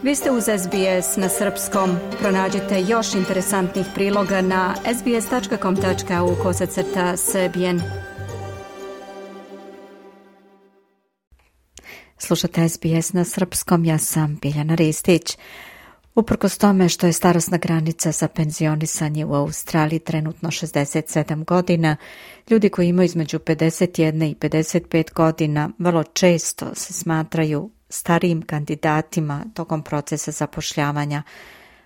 Vi ste uz SBS na srpskom. Pronađite još interesantnih priloga na sbs.com.au/srbijen. Slušate SBS na srpskom, ja sam Biljana Ristić. Uprkos tome što je starosna granica za penzionisanje u Australiji trenutno 67 godina, ljudi koji imaju između 51 i 55 godina vrlo često se smatraju starijim kandidatima tokom procesa zapošljavanja.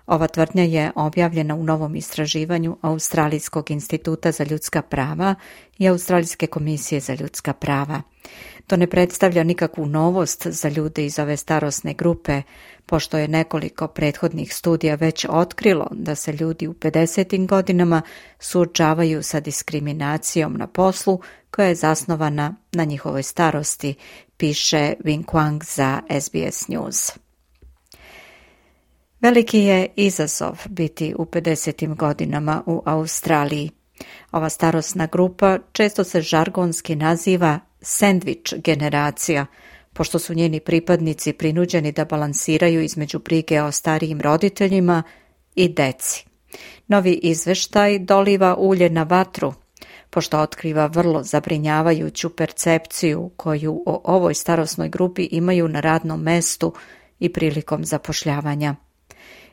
Ova tvrdnja je objavljena u novom istraživanju Australijskog instituta za ljudska prava i Australijske komisije za ljudska prava. To ne predstavlja nikakvu novost za ljude iz ove starosne grupe, pošto je nekoliko prethodnih studija već otkrilo da se ljudi u 50. godinama suočavaju sa diskriminacijom na poslu koja je zasnovana na njihovoj starosti, piše Wing Quang za SBS News. Veliki je izazov biti u 50. godinama u Australiji. Ova starosna grupa često se žargonski naziva sendvič generacija, pošto su njeni pripadnici prinuđeni da balansiraju između brige o starijim roditeljima i deci. Novi izveštaj doliva ulje na vatru, pošto otkriva vrlo zabrinjavajuću percepciju koju o ovoj starosnoj grupi imaju na radnom mestu i prilikom zapošljavanja.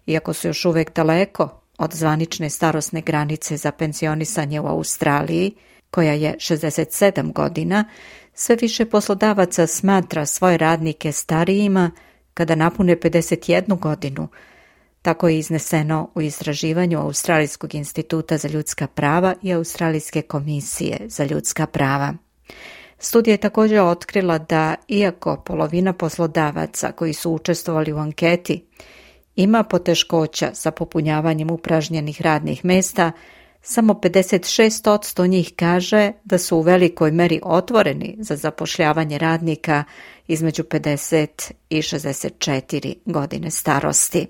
Iako su još uvijek daleko od zvanične starosne granice za penzionisanje u Australiji, koja je 67 godina, sve više poslodavaca smatra svoje radnike starijima kada napune 51 godinu. Tako je izneseno u istraživanju Australijskog instituta za ljudska prava i Australijske komisije za ljudska prava. Studija je također otkrila da, iako polovina poslodavaca koji su učestvovali u anketi ima poteškoća sa popunjavanjem upražnjenih radnih mesta, samo 56% njih kaže da su u velikoj meri otvoreni za zapošljavanje radnika između 50 i 64 godine starosti.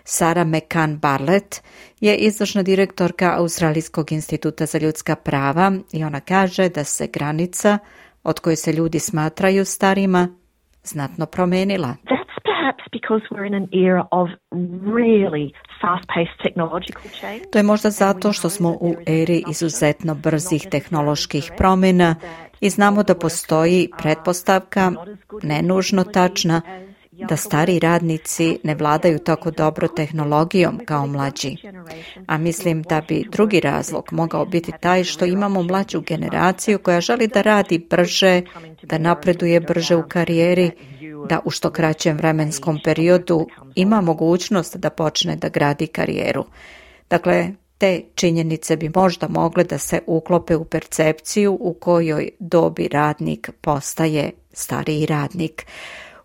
Sarah McCann-Bartlett je izvršna direktorka Australijskog instituta za ljudska prava i ona kaže da se granica od koje se ljudi smatraju starima znatno promenila. To je možda zato što smo u eri izuzetno brzih tehnoloških promjena i znamo da postoji pretpostavka, nenužno tačna, da stari radnici ne vladaju tako dobro tehnologijom kao mlađi. A mislim da bi drugi razlog mogao biti taj što imamo mlađu generaciju koja želi da radi brže, da napreduje brže u karijeri, da u što kraćem vremenskom periodu ima mogućnost da počne da gradi karijeru. Dakle, te činjenice bi možda mogle da se uklope u percepciju u kojoj dobi radnik postaje stariji radnik.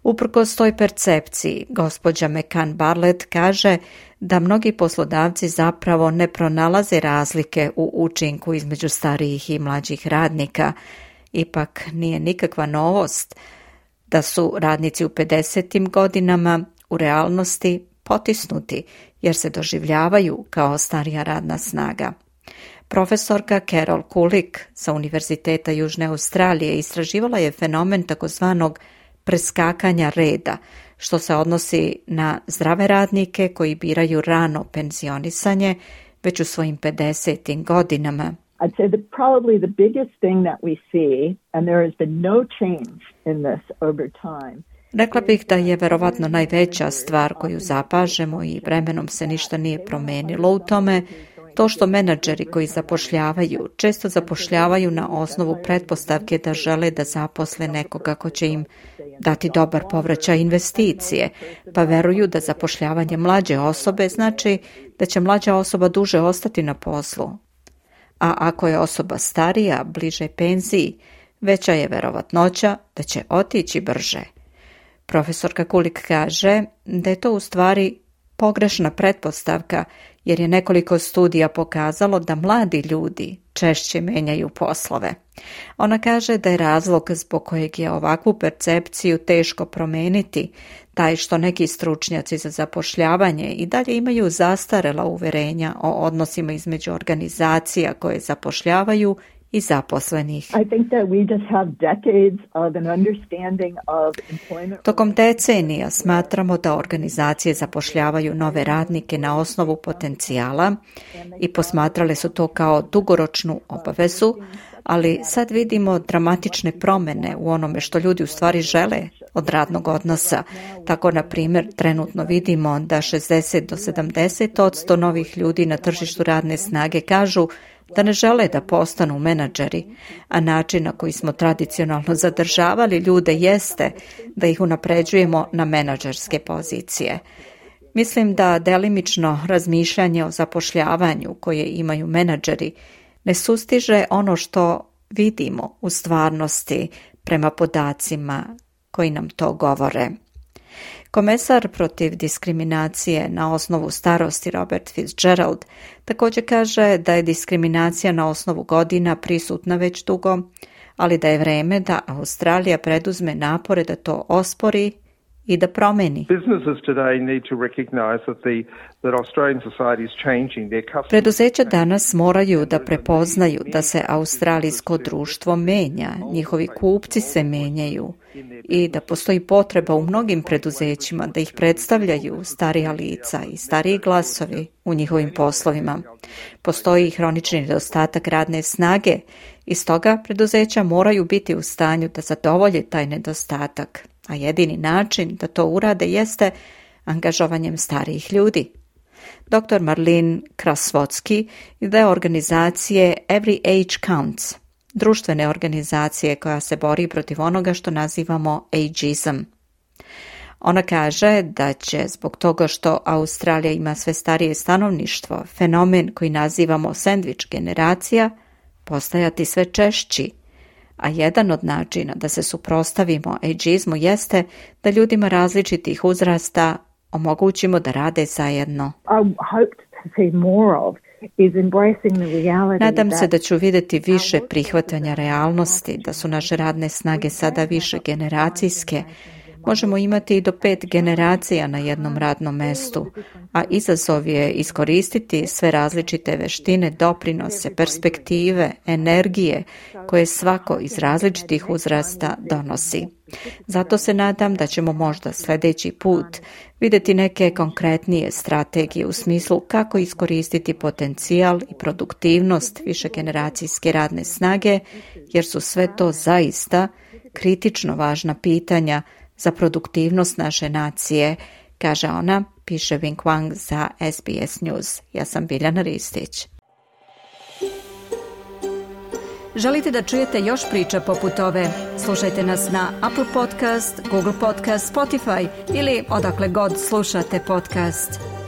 Uprkos toj percepciji, gospođa McCann-Bartlett kaže da mnogi poslodavci zapravo ne pronalaze razlike u učinku između starijih i mlađih radnika. Ipak nije nikakva novost da su radnici u 50. godinama u realnosti potisnuti jer se doživljavaju kao starija radna snaga. Profesorka Carol Kulik sa Univerziteta Južne Australije istraživala je fenomen takozvanog preskakanja reda, što se odnosi na zdrave radnike koji biraju rano penzionisanje već u svojim 50. godinama. I'd say that probably the biggest thing that we see, and there has been no change in this over time. Rekla bih da je verovatno najveća stvar koju zapažemo i vremenom se ništa nije promenilo u tome, to što menadžeri koji zapošljavaju često zapošljavaju na osnovu pretpostavke da žele da zaposle nekoga ko će im dati dobar povraćaj investicije, pa veruju da zapošljavanje mlađe osobe znači da će mlađa osoba duže ostati na poslu. A ako je osoba starija, bliže penziji, veća je verovatnoća da će otići brže. Profesorka Kulik kaže da je to u stvari pogrešna pretpostavka, jer je nekoliko studija pokazalo da mladi ljudi češće menjaju poslove. Ona kaže da je razlog zbog kojeg je ovakvu percepciju teško promeniti taj što neki stručnjaci za zapošljavanje i dalje imaju zastarela uverenja o odnosima između organizacija koje zapošljavaju i zaposlenih. Tokom decenija smatramo da organizacije zapošljavaju nove radnike na osnovu potencijala i posmatrale su to kao dugoročnu obavezu, ali sad vidimo dramatične promjene u onome što ljudi u stvari žele od radnog odnosa. Tako, na primjer, trenutno vidimo da 60 do 70% novih ljudi na tržištu radne snage kažu da ne žele da postanu menadžeri, a način na koji smo tradicionalno zadržavali ljude jeste da ih unapređujemo na menadžerske pozicije. Mislim da delimično razmišljanje o zapošljavanju koje imaju menadžeri ne sustiže ono što vidimo u stvarnosti prema podacima koji nam to govore. Komesar protiv diskriminacije na osnovu starosti Robert Fitzgerald također kaže da je diskriminacija na osnovu godina prisutna već dugo, ali da je vreme da Australija preduzme napore da to ospori i da promeni. Preduzeća danas moraju da prepoznaju da se australijsko društvo menja, njihovi kupci se menjaju i da postoji potreba u mnogim preduzećima da ih predstavljaju starija lica i stariji glasovi u njihovim poslovima. Postoji hronični nedostatak radne snage i stoga preduzeća moraju biti u stanju da zadovolje taj nedostatak, a jedini način da to urade jeste angažovanjem starijih ljudi. Dr. Marlene Krasvotsky ide organizacije Every Age Counts, društvene organizacije koja se bori protiv onoga što nazivamo ageism. Ona kaže da će zbog toga što Australija ima sve starije stanovništvo, fenomen koji nazivamo sandvič generacija, postajati sve češći, a jedan od načina da se suprotstavimo ageizmu jeste da ljudima različitih uzrasta omogućimo da rade zajedno. Nadam se da ću vidjeti više prihvatanja realnosti, da su naše radne snage sada više generacijske. Možemo imati i do 5 generacija na jednom radnom mestu, a izazov je iskoristiti sve različite veštine, doprinose, perspektive, energije koje svako iz različitih uzrasta donosi. Zato se nadam da ćemo možda sljedeći put vidjeti neke konkretnije strategije u smislu kako iskoristiti potencijal i produktivnost višegeneracijske radne snage, jer su sve to zaista kritično važna pitanja za produktivnost naše nacije, kaže ona, piše Wing Wang za SBS News. Ja sam Biljana Ristić. Želite da čujete još priča poput ove? Slušajte nas na Apple Podcast, Google Podcast, Spotify ili odakle god slušate podcast.